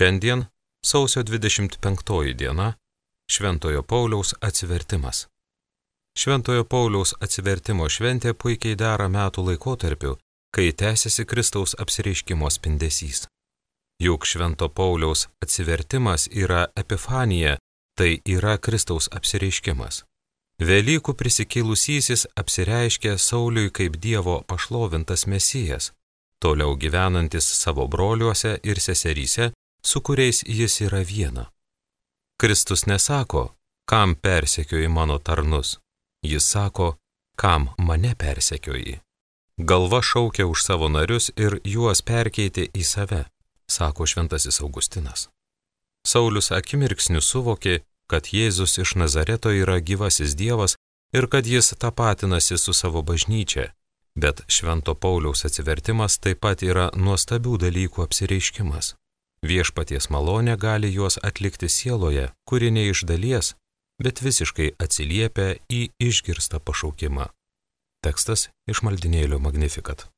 Šiandien, sausio 25 diena, Šventojo Pauliaus atsivertimas. Šventojo Pauliaus atsivertimo šventė puikiai dera metų laikotarpiu, kai tęsiasi Kristaus apsireiškimo spindesys. Juk Švento Pauliaus atsivertimas yra epifanija, tai yra Kristaus apsireiškimas. Velykų prisikėlusysis apsireiškė Sauliui kaip Dievo pašlovintas Mesijas, toliau gyvenantis savo broliuose ir seseryse, su kuriais jis yra viena. Kristus nesako, kam persekioji mano tarnus, jis sako, kam mane persekioji. Galva šaukia už savo narius ir juos perkeitė į save, sako šventasis Augustinas. Saulius akimirksniu suvokė, kad Jėzus iš Nazareto yra gyvasis Dievas ir kad jis tapatinasi su savo bažnyčia, bet Švento Pauliaus atsivertimas taip pat yra nuostabių dalykų apsireiškimas. Viešpaties malonė gali juos atlikti sieloje, kuri ne iš dalies, bet visiškai atsiliepia į išgirstą pašaukimą. Tekstas iš maldynėlio Magnificat.